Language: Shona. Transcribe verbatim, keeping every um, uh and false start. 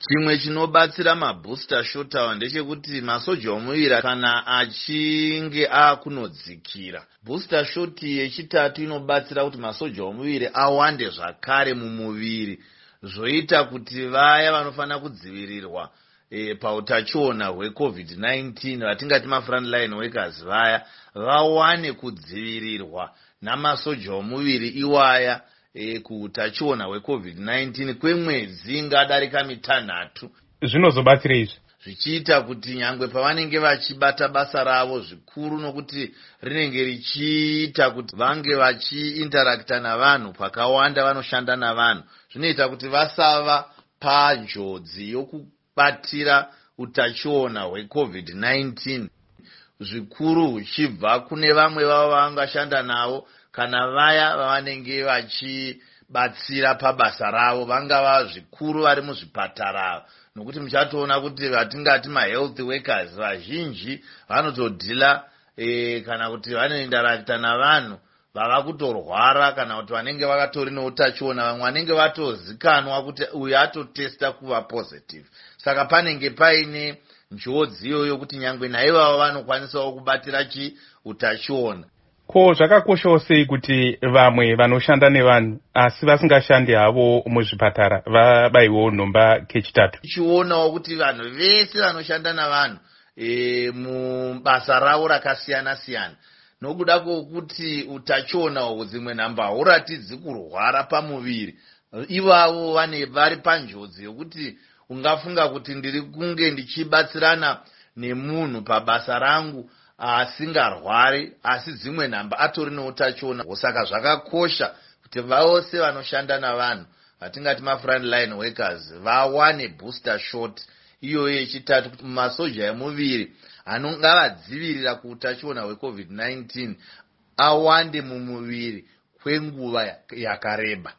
Chimwe chinobatsira mabooster shot awa ndechekuti masoja omuviri kana achinge akunodzikira, booster shot yechitatu inobatsira kuti masoja omuviri awande zvakare mumuviri, zvoita kuti vaya vanofanira kudzivirirwa e, pautachiona hweCOVID nineteen, vatingati mafrontline workers vaya, vawane kudzivirirwa namasoja omuviri iwaya e, kuutachiona hweCOVID nineteen kwemwedzi ingadarika mitanhatu. Zvinozobatsira izvi? Zvichiita kuti nyangwe pavanenge vachibata basa ravo zvikuru, nokuti rinenge richiita kuti vange vachiinteracta navanhu pakawanda, vanoshanda navanhu, zvinoita kuti vasava panjodzi yokubatira utachiona hweCOVID nineteen, zvikuru huchibva kune vamwe vavo vavangashanda navo kana vaya vavanenge vachibatsira pabasa ravo, vangava zvikuru vari muzvipatara, nokuti muchatoona kuti vatingati mahealth workers vazhinji vanotodhila e, kana kuti vanointeracta navanhu vava kutorwara kana kuti vanenge vakatori neutachiona, vamwe vanenge vatozikanwa kuti uyu atotesta kuva positive. Saka panenge paine njodzi iyoyo kuti nyangwe naivavo vanokwanisawo kubatira chi utachiona. Ko zvakakoshawo sei kuti vamwe vanoshanda nevanhu asi vasingashandi havo muzvipatara vabayiwewo nhomba kechitatu? Tichionawo kuti vanhu vese vanoshanda navanhu e, mubasa ravo rakasiyana siyana, nokuda kwokuti utachiona uhwu dzimwe nhamba hauratidzi kurwara pamuviri, ivavo vane vari panjodzi yokuti ungafunga kuti ndiri kunge ndichibatsirana nemunhu pabasa rangu asingarwari, asi dzimwe nhamba atori neutachiona. Saka zvakakosha kuti vose vanoshanda navanhu, vatingati mafrontline workers, vawane booster shot iyoyo yechitatu, kuti masoja emuviri anongavadzivirira kuutachiona hweCOVID nineteen awande mumuviri kwenguva yakareba.